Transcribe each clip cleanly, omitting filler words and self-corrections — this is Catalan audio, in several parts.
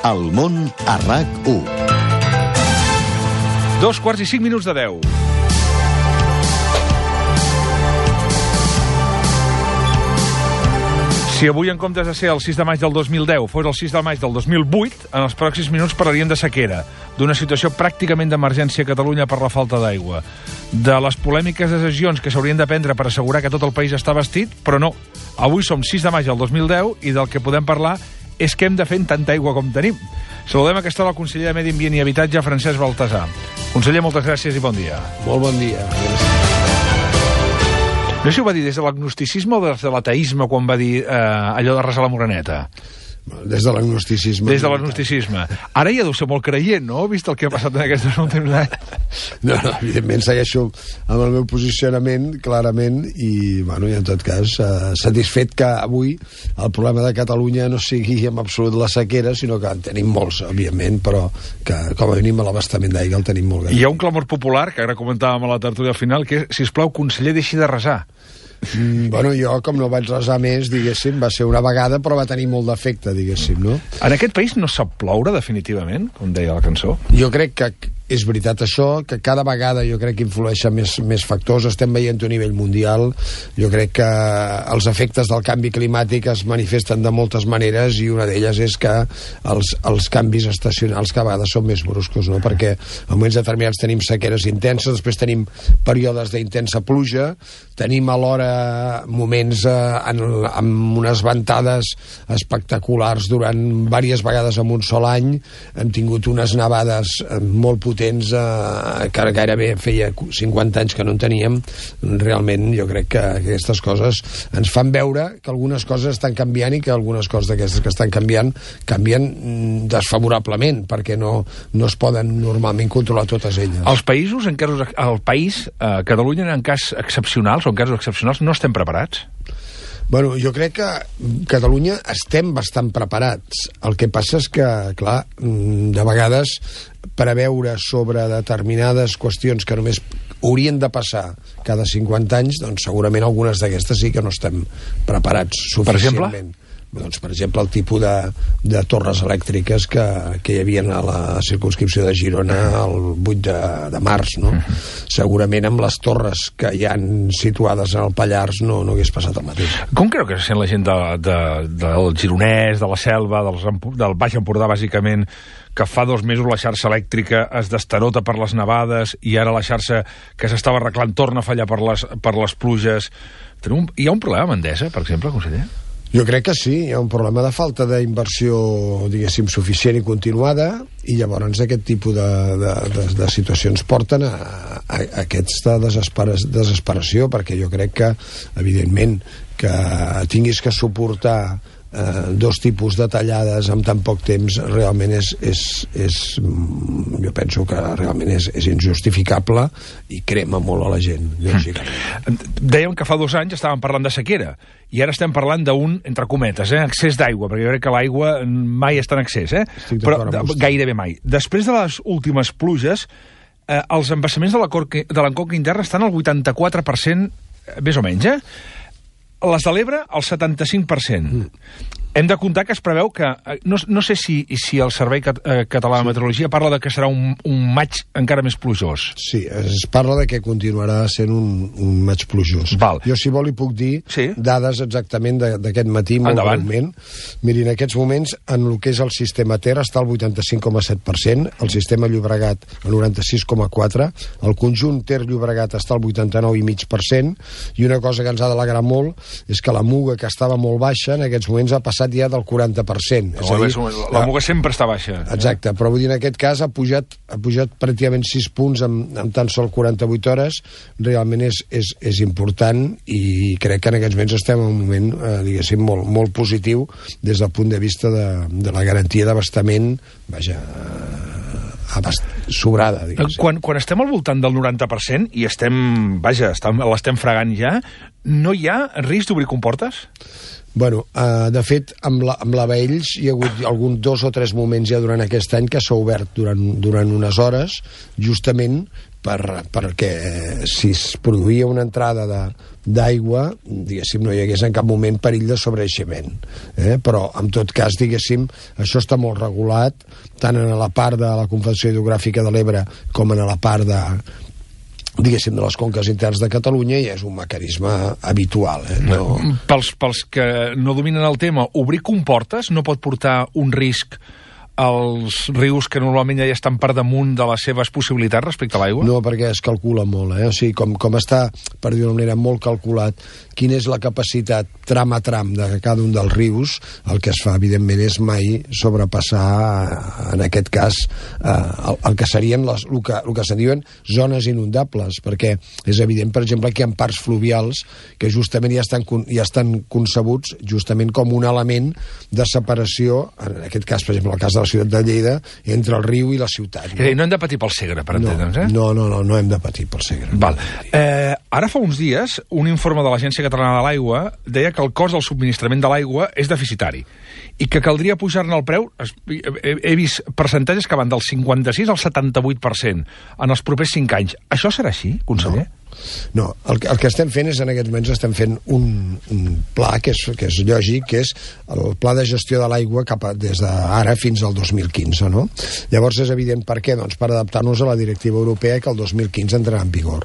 El món a RAC1. 2:05 de 10. Si avui, en comptes de ser el 6 de maig del 2010, fos el 6 de maig del 2008, en els pròxims minuts parlaríem de sequera, d'una situació pràcticament d'emergència a Catalunya per la falta d'aigua, de les polèmiques decisions que s'haurien de prendre per assegurar que tot el país està vestit, però no. Avui som 6 de maig del 2010 i del que podem parlar és què hem de fer amb tanta aigua com tenim. Saludem a aquesta hora el conseller de Medi Ambient i Habitatge, Francesc Baltasar. Conseller, moltes gràcies i bon dia. Molt bon dia. No sé si ho va dir des de l'agnosticisme o des de l'ateisme quan va dir allò de resar la moreneta. Des de l'agnosticisme. Des de l'agnosticisme. Ara ja deu ser molt creient, no? Vist el que ha passat en aquests últims anys. No, evidentment segueixo amb el meu posicionament, clarament, i en tot cas, satisfet que avui el problema de Catalunya no sigui en absolut la sequera, sinó que en tenim molts, òbviament, però que com a mínim l'abastament d'aigua el tenim molt gran. Hi ha un clamor popular, que ara comentàvem a la tertúlia final, que és, sisplau, conseller, deixi de resar. Jo, com no vaig resar més, diguéssim, va ser una vegada, però va tenir molt d'efecte, diguéssim, no? En aquest país no sap ploure, definitivament, com deia la cançó? Jo crec que és veritat això, que cada vegada jo crec que influeixen més factors, estem veient a nivell mundial, jo crec que els efectes del canvi climàtic es manifesten de moltes maneres i una d'elles és que els canvis estacionals cada vegada són més bruscos, no? Perquè en moments determinats tenim sequeres intenses, després tenim períodes d'intensa pluja, tenim alhora moments amb unes ventades espectaculars durant diverses vegades en un sol any, hem tingut unes nevades molt potents que gairebé feia 50 anys que no en teníem. Realment jo crec que aquestes coses ens fan veure que algunes coses estan canviant i que algunes coses d'aquestes que estan canvien desfavorablement, perquè no es poden normalment controlar totes elles. Els països, el país, Catalunya, en cas excepcionals o en casos excepcionals, no estem preparats? Jo crec que Catalunya estem bastant preparats. El que passa és que, clar, de vegades preveure sobre determinades qüestions que només haurien de passar cada 50 anys, doncs segurament algunes d'aquestes sí que no estem preparats suficientment. Per exemple? Per exemple, el tipus de torres elèctriques que hi havia a la circumscripció de Girona el 8 de març, no? Segurament amb les torres que hi han situades al Pallars no hagués passat el mateix. Com creu que se sent la gent del Gironès, de la Selva, del Baix Empordà, bàsicament, que fa 2 mesos la xarxa elèctrica es destarota per les nevades i ara la xarxa que s'estava arreglant torna a fallar per les pluges? Hi ha un problema amb Endesa, per exemple, conseller? Jo crec que sí, hi ha un problema de falta d'inversió, diguéssim, suficient i continuada, i llavors aquest tipus de situacions porten a aquesta desesperació, perquè jo crec que, evidentment, que tinguis que suportar 2 tipus de tallades en tan poc temps realment jo penso que realment és injustificable i crema molt a la gent, lògicament. Dèiem que fa 2 anys estàvem parlant de sequera i ara estem parlant d'un, entre cometes, excés d'aigua, perquè jo crec que l'aigua mai està en excés, però gairebé mai. Després de les últimes pluges, els embassaments de la conca interna estan al 84%, més o menys, les de l'Ebre, el 75%. Hem de comptar que es preveu que... No sé si el Servei Català de Meteorologia parla que serà un maig encara més plujós. Sí, es parla que continuarà sent un maig plujós. Val. Jo, si vol, li puc dir dades exactament d'aquest matí, molt breument. Miri, en aquests moments, en el que és el sistema Ter està al 85,7%, el sistema Llobregat al 96,4%, el conjunt Ter-Llobregat està al 89,5%, i una cosa que ens ha d'alegrar molt és que la Muga, que estava molt baixa, en aquests moments ha passat ja del 40%. La Muga sempre està baixa. Exacte, però vull dir, en aquest cas ha pujat pràcticament 6 punts en tan sol 48 hores. Realment és important i crec que en aquests moments estem en un moment, diguéssim, molt positiu des del punt de vista de la garantia d'abastament, sobrada, diguéssim. Quan estem al voltant del 90% i l'estem fregant ja, no hi ha risc d'obrir comportes? De fet, amb la Baells hi ha hagut 2 o 3 moments ja durant aquest any que s'ha obert durant unes hores, justament perquè si es produïa una entrada d'aigua, diguéssim, no hi hagués en cap moment perill de sobreeixement. Però, en tot cas, diguéssim, això està molt regulat, tant en la part de la Confederació Hidrogràfica de l'Ebre com en la part diguéssim, de les conques internes de Catalunya, i és un mecanisme habitual. No... Pels que no dominen el tema, obrir comportes no pot portar un risc als rius que normalment ja estan per damunt de les seves possibilitats respecte a l'aigua? No, perquè es calcula molt, O sigui, com està, per dir d'una manera, molt calculat quina és la capacitat tram a tram de cada un dels rius, el que es fa, evidentment, és mai sobrepassar, en aquest cas, el que serien el que se diuen zones inundables, perquè és evident, per exemple, que hi ha parts fluvials que justament ja estan concebuts justament com un element de separació, en aquest cas, per exemple, el cas de la ciutat de Lleida, entre el riu i la ciutat. No hem de patir pel Segre, per entendre'ns, No hem de patir pel Segre. Val. Ara fa uns dies, un informe de l'Agència Catalana de l'Aigua deia que el cost del subministrament de l'aigua és deficitari i que caldria pujar-ne el preu. He vist percentatges que van del 56 al 78% en els propers 5 anys. Això serà així, conseller? No, el que estem fent és, en aquests moments, estem fent un pla que és lògic, que és el pla de gestió de l'aigua des d'ara fins al 2015, no? Llavors és evident per què? Doncs per adaptar-nos a la directiva europea, que el 2015 entrarà en vigor.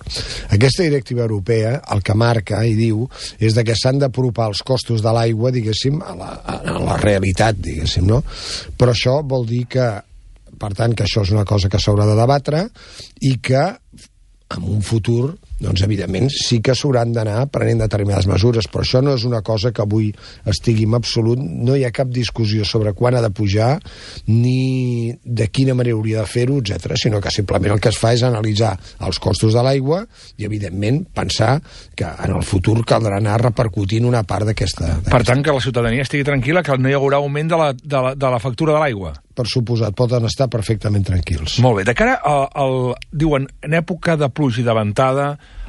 Aquesta directiva europea el que marca i diu és que s'han d'apropar els costos de l'aigua, diguéssim, a la realitat, diguéssim, no? Però això vol dir que, per tant, que això és una cosa que s'haurà de debatre i que en un futur, doncs, evidentment, sí que s'hauran d'anar prenent determinades mesures, però això no és una cosa que avui estigui en absolut, no hi ha cap discussió sobre quan ha de pujar, ni de quina manera hauria de fer-ho, etc., sinó que simplement el que es fa és analitzar els costos de l'aigua i, evidentment, pensar que en el futur caldrà anar repercutint una part d'aquesta... Per tant, que la ciutadania estigui tranquil·la, que no hi haurà augment de la factura de l'aigua. Per suposat, poden estar perfectament tranquils. Molt bé. De cara diuen, en època de pluja i de ventada,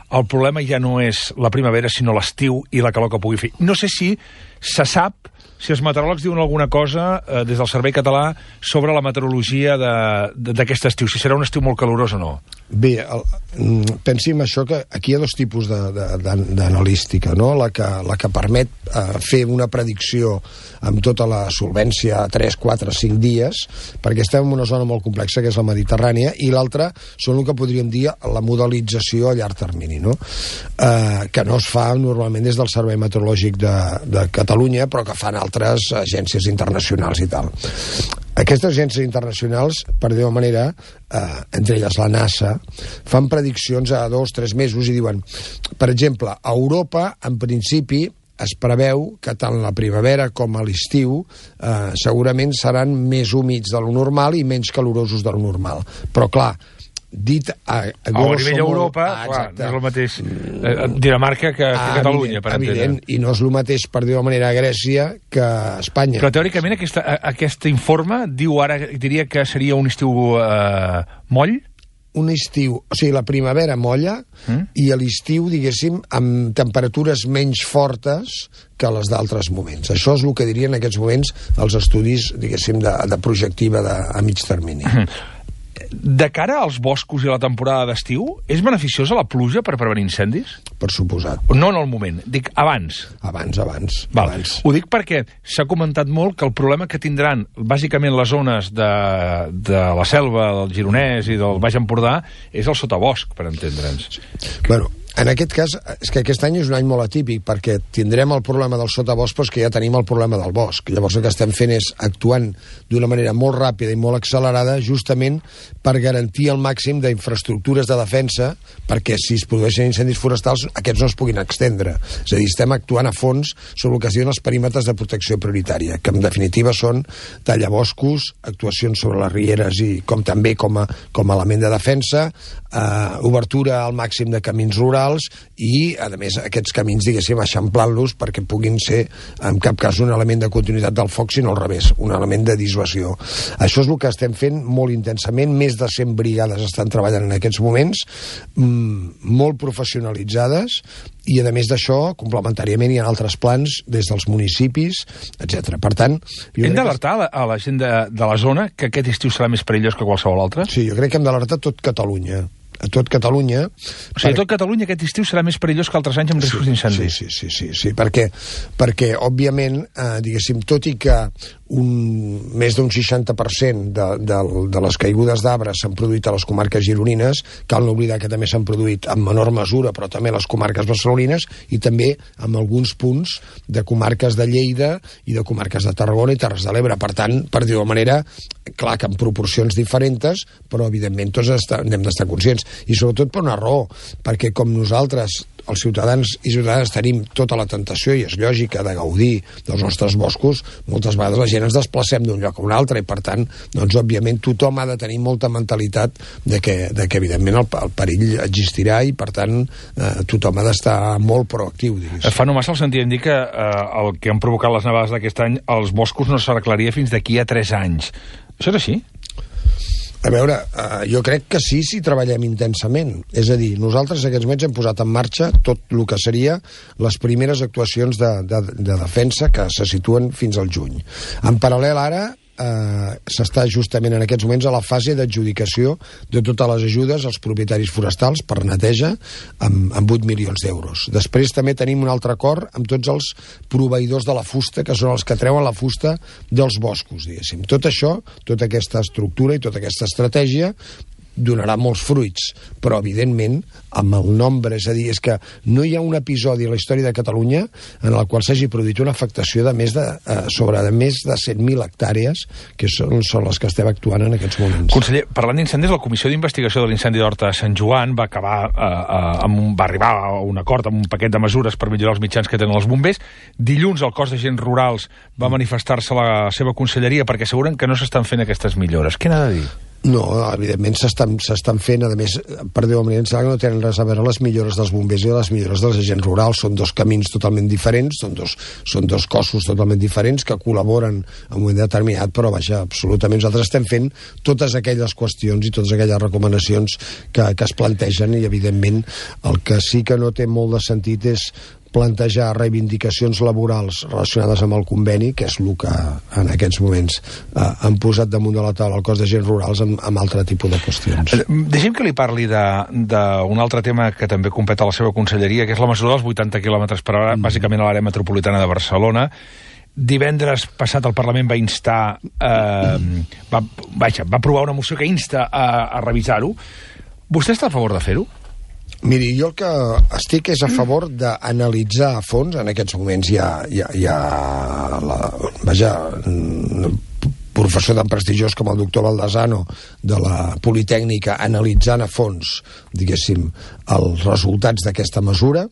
el problema ja no és la primavera, sinó l'estiu i la calor que pugui fer. No sé si se sap, si els meteoròlegs diuen alguna cosa des del Servei Català sobre la meteorologia d'aquest estiu, si serà un estiu molt calorós o no. Bé, pensi en això, que aquí hi ha dos tipus d'analística, no? La que permet fer una predicció amb tota la solvència a 3, 4, 5 dies, perquè estem en una zona molt complexa, que és la Mediterrània, i l'altra són el que podríem dir la modelització a llarg termini, no? Que no es fa normalment des del Servei Meteorològic de Catalunya, però que fan altres agències internacionals i tal. Aquestes agències internacionals, per dir-ho manera, entre elles la NASA, fan prediccions a 2 o 3 mesos i diuen, per exemple, a Europa, en principi, es preveu que tant la primavera com a l'estiu segurament seran més húmids de lo normal i menys calorosos de lo normal. Però, clar, dit a nivell d'Europa, clar, no és el mateix Dinamarca que Catalunya, per entendre. Evident, i no és el mateix, per dir-ho de manera, a Grècia que a Espanya. Però teòricament aquest informe diu ara, diria que seria un estiu moll? Un estiu, o sigui, la primavera molla i a l'estiu, diguéssim, amb temperatures menys fortes que les d'altres moments. Això és el que dirien en aquests moments els estudis, diguéssim, de projectiva a mig termini. De cara als boscos i a la temporada d'estiu, és beneficiosa la pluja per prevenir incendis? Per suposat. No en el moment, dic abans. Abans. Ho dic perquè s'ha comentat molt que el problema que tindran bàsicament les zones de la selva, del Gironès i del Baix Empordà és el sotabosc, per entendre'ns. Bueno, en aquest cas, és que aquest any és un any molt atípic, perquè tindrem el problema del sotabosc, però és que ja tenim el problema del bosc. Llavors el que estem fent és actuant d'una manera molt ràpida i molt accelerada, justament per garantir el màxim d'infraestructures de defensa, perquè si es produeixen incendis forestals, aquests no es puguin extendre. És a dir, estem actuant a fons sobre el que es diuen els perímetres de protecció prioritària, que en definitiva són tallavoscos, actuacions sobre les rieres i també com a element de defensa, obertura al màxim de camins rurals i, a més, aquests camins, diguéssim, eixamplant-los perquè puguin ser, en cap cas, un element de continuïtat del foc, sinó al revés, un element de dissuasió. Això és el que estem fent molt intensament. Més de 100 brigades estan treballant en aquests moments, molt professionalitzades, i, a més d'això, complementàriament hi ha altres plans des dels municipis, etc. Per tant... Hem d'alertar a la gent de la zona que aquest estiu serà més perillós que qualsevol altre? Sí, jo crec que hem d'alertar tot Catalunya. a tot Catalunya. O sigui, a tot Catalunya aquest estiu serà més perillós que altres anys amb riscos d'incendi. Sí, perquè òbviament, diguéssim, tot i que més d'un 60% de les caigudes d'arbres s'han produït a les comarques gironines, cal no oblidar que també s'han produït en menor mesura, però també a les comarques barcelonines i també en alguns punts de comarques de Lleida i de comarques de Tarragona i Terres de l'Ebre. Per tant, per dir-ho de manera, clar que en proporcions diferents, però evidentment tots n'hem d'estar conscients. I sobretot per una raó, perquè com nosaltres, els ciutadans i ciutadanes, tenim tota la tentació, i és lògica, de gaudir dels nostres boscos, moltes vegades la gent ens desplacem d'un lloc a un altre, i per tant, doncs, òbviament, tothom ha de tenir molta mentalitat de que evidentment, el perill existirà i, per tant, tothom ha d'estar molt proactiu, diguéssim. Fa no massa el sentit dir que el que han provocat les nevades d'aquest any, els boscos no s'arreglaria fins d'aquí a 3 anys. Això és així? A veure, jo crec que sí, si treballem intensament. És a dir, nosaltres aquests mesos hem posat en marxa tot el que seria les primeres actuacions de defensa que se situen fins al juny. En paral·lel ara, s'està justament en aquests moments a la fase d'adjudicació de totes les ajudes als propietaris forestals per neteja amb 8 milions d'euros. Després també tenim un altre acord amb tots els proveïdors de la fusta, que són els que treuen la fusta dels boscos, diguéssim. Tot això, tota aquesta estructura i tota aquesta estratègia donarà molts fruits, però evidentment amb el nombre, és a dir, és que no hi ha un episodi a la història de Catalunya en el qual s'hagi produït una afectació de més de 100.000 hectàrees, que són les que estem actuant en aquests moments. Conseller, parlant d'incendis, la Comissió d'Investigació de l'Incendi d'Horta de Sant Joan va arribar a un acord amb un paquet de mesures per millorar els mitjans que tenen els bombers. Dilluns el cos d'agents rurals va manifestar-se a la seva conselleria perquè asseguren que no s'estan fent aquestes millores. Què n'ha de dir? No, evidentment s'estan fent, a més, per dir-ho de manera, no tenen res a veure les millores dels bombers i les millores dels agents rurals. Són dos camins totalment diferents, són dos cossos totalment diferents que col·laboren en un moment determinat, però vaja, absolutament nosaltres estem fent totes aquelles qüestions i totes aquelles recomanacions que es plantegen, i evidentment el que sí que no té molt de sentit és plantejar reivindicacions laborals relacionades amb el conveni, que és el que en aquests moments han posat damunt de la taula el cos d'agents rurals amb altre tipus de qüestions. Deixem que li parli d'un altre tema que també competa a la seva conselleria, que és la mesura dels 80 km/h, bàsicament a l'àrea metropolitana de Barcelona. Divendres passat el Parlament va instar, va aprovar una moció que insta a revisar-ho. Vostè està a favor de fer-ho? Miri, jo el que estic és a favor d'analitzar a fons. En aquests moments hi ha professor tan prestigiós com el doctor Baldasano de la Politècnica analitzant a fons, diguéssim, els resultats d'aquesta mesura.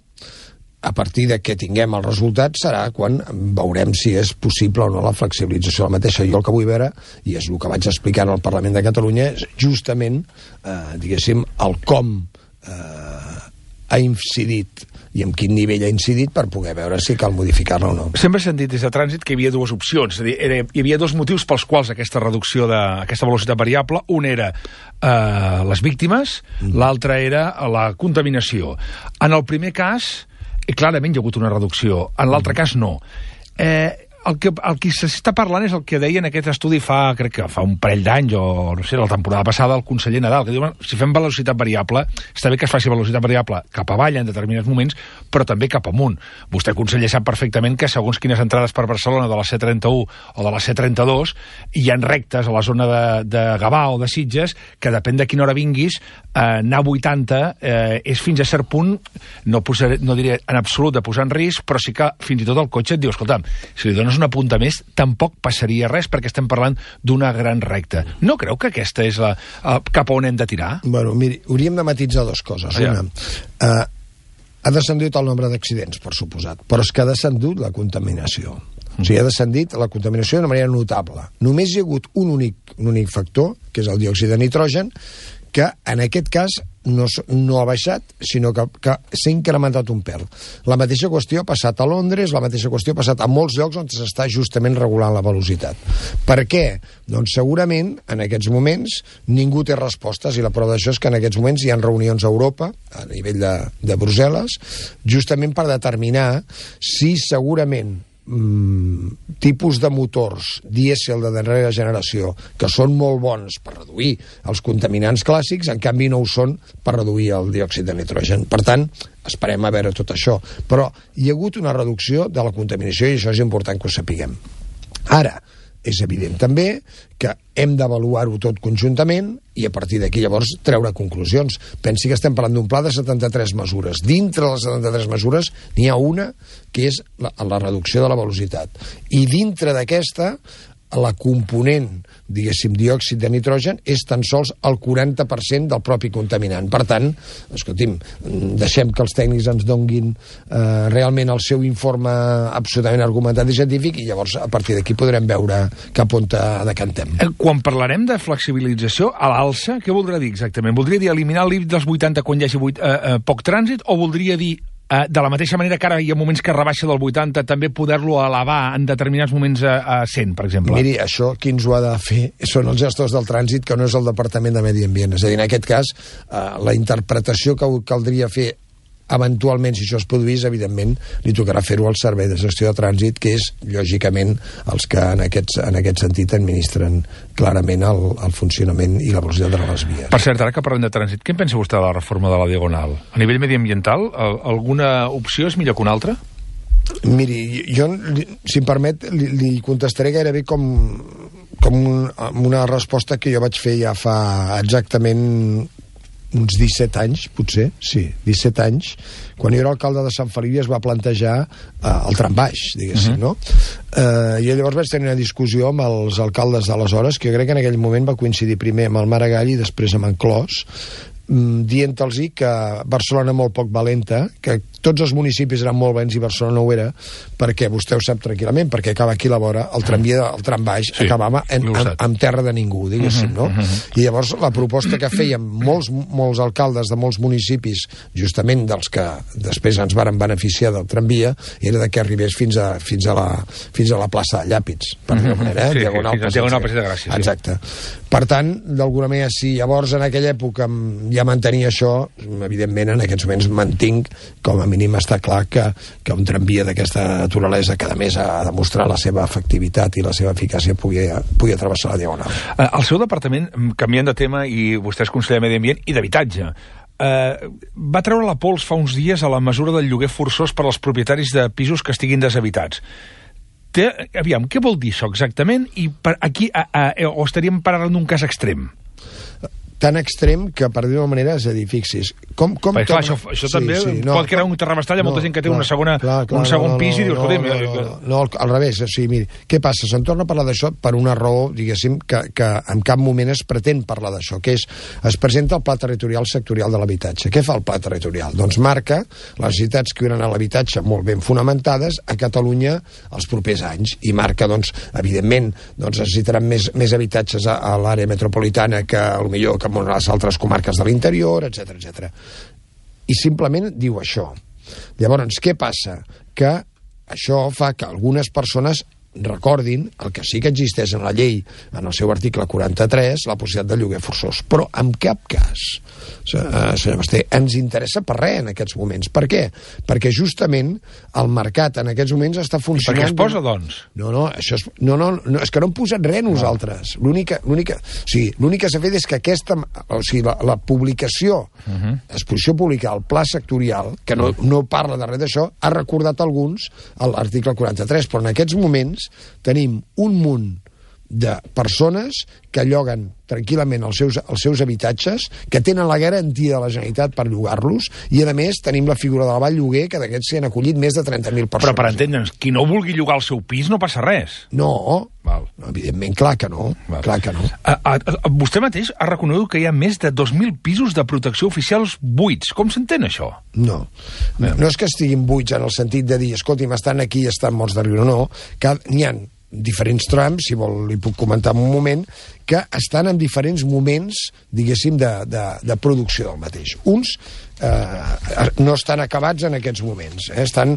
A partir de que tinguem els resultats serà quan veurem si és possible o no la flexibilització de la mateixa. Jo el que vull veure, i és el que vaig explicar al Parlament de Catalunya, és justament, diguéssim, el com ha incidit i en quin nivell ha incidit per poder veure si cal modificar-la o no. Sempre s'ha dit des de trànsit que hi havia dues opcions. És a dir, hi havia dos motius pels quals aquesta reducció d'aquesta velocitat variable. Un era les víctimes, l'altre era la contaminació. En el primer cas, clarament hi ha hagut una reducció. En l'altre cas, no. El que s'està parlant és el que deia en aquest estudi crec que fa un parell d'anys, o no sé, la temporada passada, el conseller Nadal, que diu, si fem velocitat variable, està bé que es faci velocitat variable cap avall en determinats moments, però també cap amunt. Vostè, conseller, sap perfectament que segons quines entrades per Barcelona de la C31 o de la C32 hi ha rectes a la zona de Gavà o de Sitges que depèn de quina hora vinguis, anar a 80 és fins a cert punt, no diré en absolut de posar en risc, però sí que fins i tot el cotxe et diu, escolta'm, si li dones una punta més, tampoc passaria res perquè estem parlant d'una gran recta. No creu que aquesta és cap on hem de tirar? Bueno, miri, hauríem de matisar dues coses. Una, ha descendit el nombre d'accidents, per suposat, però és que ha descendit la contaminació. O sigui, ha descendit la contaminació d'una manera notable. Només hi ha hagut un únic factor, que és el diòxid de nitrogen, que en aquest cas no ha baixat, sinó que s'ha incrementat un pèl. La mateixa qüestió ha passat a Londres, la mateixa qüestió ha passat a molts llocs on s'està justament regulant la velocitat. Per què? Doncs segurament, en aquests moments, ningú té respostes, i la prova d'això és que en aquests moments hi ha reunions a Europa, a nivell de Brussel·les, justament per determinar si segurament tipus de motors dièsel de darrera generació que són molt bons per reduir els contaminants clàssics, en canvi no ho són per reduir el diòxid de nitrogen. Per tant, esperem a veure tot això. Però hi ha hagut una reducció de la contaminació i això és important que ho sapiguem. Ara, és evident també que hem d'avaluar-ho tot conjuntament i a partir d'aquí llavors treure conclusions. Pensi que estem parlant d'un pla de 73 mesures. Dintre de les 73 mesures n'hi ha una que és la reducció de la velocitat. I dintre d'aquesta, la component, diguéssim, diòxid de nitrogen és tan sols el 40% del propi contaminant. Per tant, escolti'm, deixem que els tècnics ens donguin realment el seu informe absolutament argumentat i científic i llavors a partir d'aquí podrem veure cap on decantem. Quan parlarem de flexibilització a l'alça, què voldrà dir exactament? Voldria dir eliminar el límit dels 80 quan hi hagi poc trànsit o voldria dir de la mateixa manera que ara hi ha moments que rebaixa del 80, també poder-lo elevar en determinats moments a 100, per exemple? Miri, això qui ens ho ha de fer són els gestors del trànsit, que no és el Departament de Medi Ambient. És a dir, en aquest cas, la interpretació que caldria fer eventualment, si això es produís, evidentment, li tocarà fer-ho al Servei de Gestió de Trànsit, que és, lògicament, els que en aquest sentit administren clarament el funcionament i la velocitat de les vies. Per cert, ara que parlem de trànsit, què en pensa vostè de la reforma de la Diagonal? A nivell mediambiental, alguna opció és millor que una altra? Miri, jo, si em permet, li contestaré gairebé com una resposta que jo vaig fer ja fa exactament uns 17 anys, potser, sí, 17 anys, quan jo era alcalde de Sant Feliu es va plantejar el trambaix, diguéssim, no? I llavors vaig tenir una discussió amb els alcaldes d'aleshores, que jo crec que en aquell moment va coincidir primer amb el Maragall i després amb en Clos, dient-los que Barcelona molt poc valenta, que tots els municipis eren molt bens i Barcelona no ho era, perquè vostè ho sap tranquil·lament, perquè acaba aquí a la vora, el tramvia, el trambaix, sí, acabava en terra de ningú, diguéssim, no? I llavors la proposta que feien molts alcaldes de molts municipis, justament dels que després ens varen beneficiar del tramvia, era de que arribés fins a la plaça de Llàpids, per dir-ho manera, diagonal Passeig de Gràcia. Exacte. Per tant, d'alguna manera, si llavors en aquella època ja mantenia això, evidentment en aquests moments mantinc, com a mínim està clar que un tramvia d'aquesta naturalesa que a més ha demostrat la seva efectivitat i la seva eficàcia pugui travessar la Diagonal. El seu departament, canviant de tema, i vostè és conseller de Medi Ambient i d'Habitatge, va treure la pols fa uns dies a la mesura del lloguer forçós per als propietaris de pisos que estiguin deshabitats. Aviam, què vol dir això exactament? I aquí o estaríem parlant d'un cas extrem? Tan extrem que, per dir-ho manera, és a dir, fixis... Clar, això també pot crear un terrabastall a molta gent que té un segon pis i dius, escolta... No, al revés, o sigui, miri, què passa? Se'n torna a parlar d'això per una raó, diguéssim, que en cap moment es pretén parlar d'això, que és, es presenta el Pla Territorial Sectorial de l'Habitatge. Què fa el Pla Territorial? Doncs marca les necessitats que hi haurà a l'habitatge molt ben fonamentades a Catalunya els propers anys, i marca, doncs, evidentment, necessitaran més habitatges a l'àrea metropolitana que, potser, que en les altres comarques de l'interior, etc. I simplement diu això. Llavors, què passa? Que això fa que algunes persones recordin el que sí que existeix en la llei, en el seu article 43, la possibilitat de lloguer forçós. Però en cap cas, senyor Basté, ens interessa per res en aquests moments. Per què? Perquè justament el mercat en aquests moments està funcionant... I per què es posa, doncs? No, és que no hem posat res nosaltres. L'únic que s'ha fet és que la publicació, l'exposició pública, el pla sectorial, que no parla de res d'això, ha recordat alguns l'article 43, però en aquests moments tenim un munt de persones que lloguen tranquil·lament els seus habitatges, que tenen la garantia de la Generalitat per llogar-los, i a més tenim la figura de la Vall Lloguer, que d'aquests s'hi han acollit més de 30.000 persones. Però per entendre'ns, qui no vulgui llogar el seu pis no passa res. No, evidentment, clar que no. Clar que no. Vostè mateix ha reconegut que hi ha més de 2.000 pisos de protecció oficials buits. Com s'entén això? No és que estiguin buits en el sentit de dir, escolti'm, estan aquí i estan morts de riure, no. N'hi ha diferents trams, si vol li puc comentar en un moment, que estan en diferents moments, diguéssim, de producció del mateix. Uns no estan acabats en aquests moments, estan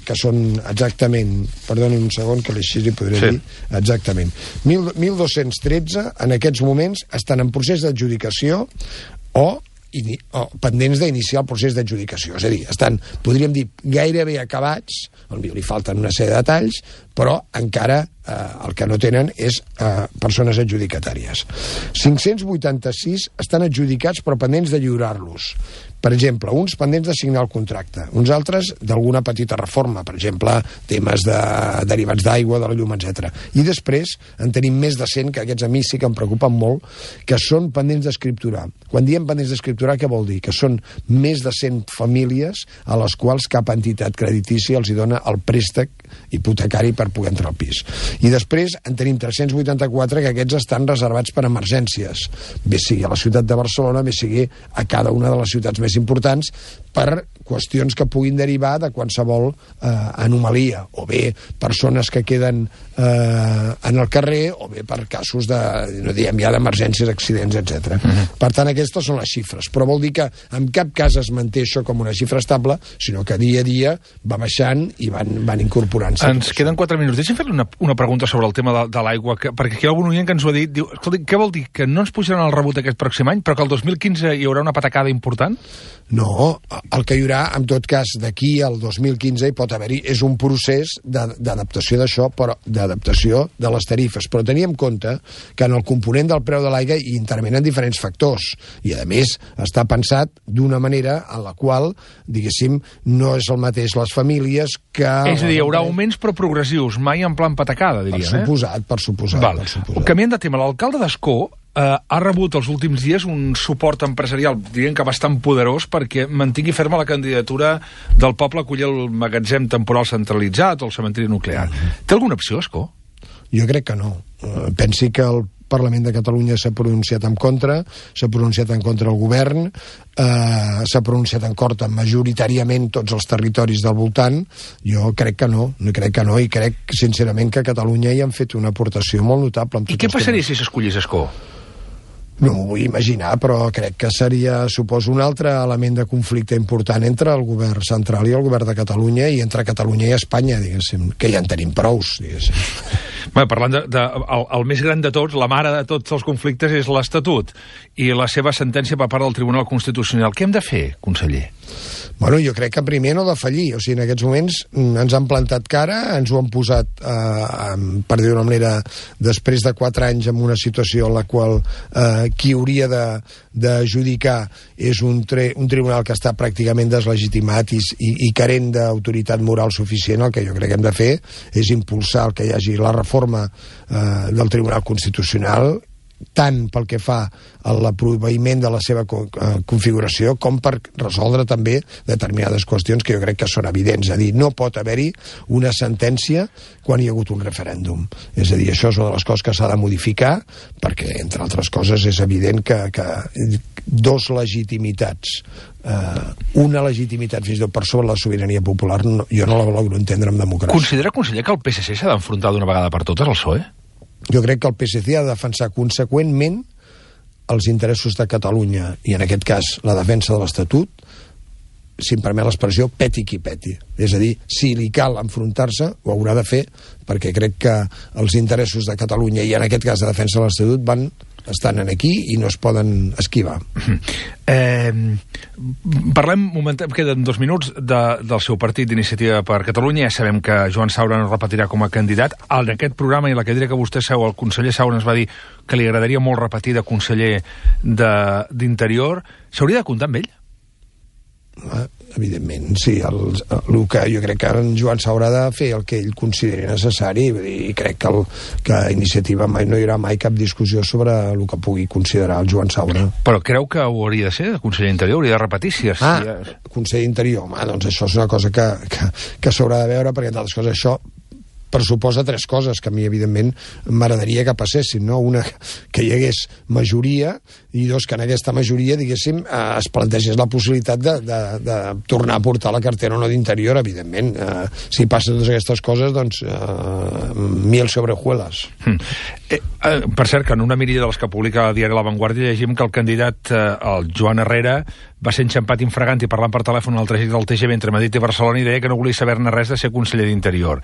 que són exactament, perdoni un segon que així li podré dir exactament, 1.213 en aquests moments estan en procés d'adjudicació o pendents d'iniciar el procés d'adjudicació. És a dir, estan, podríem dir, gairebé acabats, potser li falten una sèrie de detalls, però encara el que no tenen és persones adjudicatàries. 586 estan adjudicats però pendents de lliurar-los. Per exemple, uns pendents de signar el contracte, uns altres d'alguna petita reforma, per exemple, temes de derivats d'aigua, de la llum, etc. I després en tenim més de 100, que aquests a mi sí que em preocupen molt, que són pendents d'escripturar. Quan diem pendents d'escripturar, què vol dir? Que són més de 100 famílies a les quals cap entitat creditícia els hi dona el préstec hipotecari per poder entrar al pis. I després en tenim 384 que aquests estan reservats per emergències, bé sigui a la ciutat de Barcelona, bé sigui a cada una de les ciutats més importants, per qüestions que puguin derivar de qualsevol anomalia, o bé persones que queden en el carrer, o bé per casos de, no diem ja, d'emergències, accidents, etc. Per tant, aquestes són les xifres, però vol dir que en cap cas es manté això com una xifra estable, sinó que dia a dia va baixant i van incorporant-se. Ens queden 4 minuts. Deixa'm fer-li una pregunta sobre el tema de l'aigua, perquè aquí hi ha algun oient que ens ho ha dit. Diu, escolta, què vol dir? Que no ens pujaran el rebut aquest pròxim any, però que el 2015 hi haurà una patacada important? No, el que hi haurà, en tot cas, d'aquí al 2015 hi pot haver-hi, és un procés d'adaptació d'això, però d'adaptació de les tarifes. Però tenir en compte que en el component del preu de l'aigua hi intervenen diferents factors, i a més està pensat d'una manera en la qual, diguéssim, no és el mateix les famílies que... És a dir, hi haurà augments però progressius, mai en plan patacada, diríem, per suposat. Canviant de tema, l'alcalde d'Ascó ha rebut els últims dies un suport empresarial, diríem que bastant poderós, perquè mantingui ferma la candidatura del poble a acollir el magatzem temporal centralitzat o el cementiri nuclear. Té alguna opció, Ascó? Jo crec que no. Pensi que el Parlament de Catalunya s'ha pronunciat en contra, s'ha pronunciat en contra el govern, s'ha pronunciat en contra majoritàriament tots els territoris del voltant. Jo crec que no, i crec sincerament que a Catalunya hi han fet una aportació molt notable. I què passaria si s'escollís Ascó? No m'ho vull imaginar, però crec que seria, suposo, un altre element de conflicte important entre el govern central i el govern de Catalunya, i entre Catalunya i Espanya, diguéssim, que ja en tenim prous, diguéssim. Bé, parlant el més gran de tots, la mare de tots els conflictes és l'Estatut i la seva sentència per part del Tribunal Constitucional. Què hem de fer, conseller? Bueno, jo crec que primer no defallir. O sigui, en aquests moments ens han plantat cara, ens ho han posat, per dir d'una manera, després de 4 anys en una situació en la qual qui hauria d'adjudicar és un tribunal que està pràcticament deslegitimat i carent d'autoritat moral suficient. El que jo crec que hem de fer és impulsar el que hi hagi la reforma del Tribunal Constitucional, tant pel que fa a l'aprovaïment de la seva configuració com per resoldre també determinades qüestions que jo crec que són evidents. És a dir, no pot haver-hi una sentència quan hi ha hagut un referèndum. És a dir, això és una de les coses que s'ha de modificar, perquè, entre altres coses, és evident que dos legitimitats, una legitimitat fins i tot per sobre la sobirania popular, jo no la logro entendre en democràcia. Considera, conseller, que el PSC s'ha d'enfrontar d'una vegada per totes al PSOE? Jo crec que el PSC ha de defensar conseqüentment els interessos de Catalunya, i en aquest cas la defensa de l'Estatut, si em permet l'expressió, peti qui peti. És a dir, si li cal enfrontar-se, ho haurà de fer, perquè crec que els interessos de Catalunya, i en aquest cas de defensa de l'Estatut, estan aquí i no es poden esquivar. Parlem, queden 2 minuts, del seu partit d'Iniciativa per Catalunya. Ja sabem que Joan Saura no repetirà com a candidat. En aquest programa i la cadira que vostè seu, el conseller Saura ens va dir que li agradaria molt repetir de conseller d'Interior. S'hauria de comptar amb ell? Evidentment, sí. El que jo crec que en Joan Saura ha de fer el que ell consideri necessari, i crec que a Iniciativa no hi haurà mai cap discussió sobre el que pugui considerar el Joan Saura. Però creu que ho hauria de ser, el conseller d'Interior? Hauria de repetir? Conseller d'Interior, doncs això és una cosa que s'haurà de veure, perquè, entre altres coses, això pressuposa 3 coses que a mi, evidentment, m'agradaria que passessin, no? Una, que hi hagués majoria, i 2, que en aquesta majoria, diguéssim, es plantegés la possibilitat de tornar a portar la cartera o no d'Interior, evidentment. Si passen totes aquestes coses, doncs, miel sobre hojuelas. Per cert, que en una mirilla de les que publica el diari La Vanguardia llegim que el candidat, el Joan Herrera, va ser enxampat infragant i parlant per telèfon al trajecte del TGV entre Madrid i Barcelona i deia que no volia saber-ne res de ser conseller d'Interior.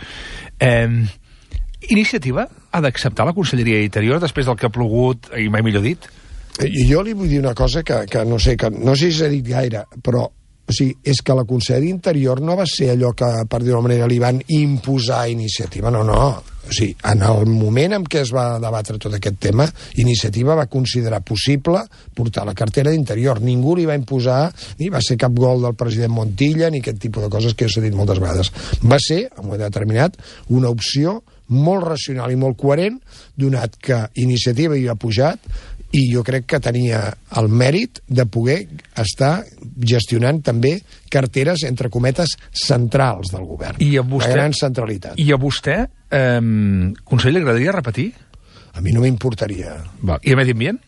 Iniciativa ha d'acceptar la conselleria d'Interior després del que ha plogut, i mai millor dit? Jo li vull dir una cosa que no sé si s'ha dit gaire, però o sigui, és que la Conselleria d'Interior no va ser allò que, per dir-ho d'una manera, li van imposar Iniciativa, no. O sigui, en el moment en què es va debatre tot aquest tema, Iniciativa va considerar possible portar la cartera d'Interior. Ningú li va imposar, ni va ser cap gol del president Montilla, ni aquest tipus de coses que s'ha dit moltes vegades. Va ser, en un moment determinat, una opció molt racional i molt coherent, donat que Iniciativa hi ha pujat, i jo crec que tenia el mèrit de poder estar gestionant també carteres, entre cometes, centrals del govern. I a vostè, la gran centralitat. I a vostè, conseller, li agradaria repetir? A mi no m'importaria. I a Medi Ambient?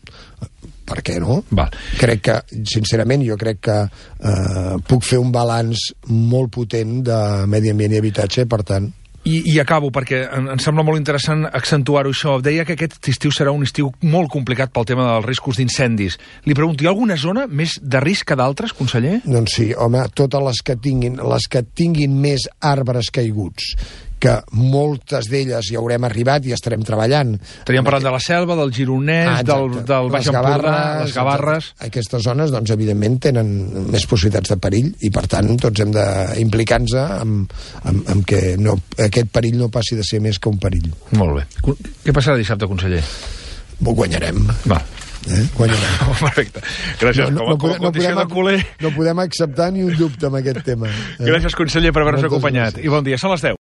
Per què no? Val. Crec que, sincerament, jo crec que puc fer un balanç molt potent de Medi Ambient i Habitatge, per tant... I acabo, perquè em sembla molt interessant accentuar-ho això. Deia que aquest estiu serà un estiu molt complicat pel tema dels riscos d'incendis. Li pregunto, hi ha alguna zona més de risc que d'altres, conseller? Doncs sí, home, totes les que tinguin més arbres caiguts, que moltes d'elles hi haurem arribat i estarem treballant. Estaríem parlant de la Selva, del Gironès, del Baix Empordà, les Gavarres... Aquestes zones, doncs, evidentment, tenen més possibilitats de perill i, per tant, tots hem d'implicar-nos amb que aquest perill no passi de ser més que un perill. Molt bé. Què passarà dissabte, conseller? Guanyarem. Va. Guanyarem. Perfecte. Gràcies. No podem acceptar ni un dubte amb aquest tema. Gràcies, conseller, per haver-nos acompanyat. I bon dia. Són les 10.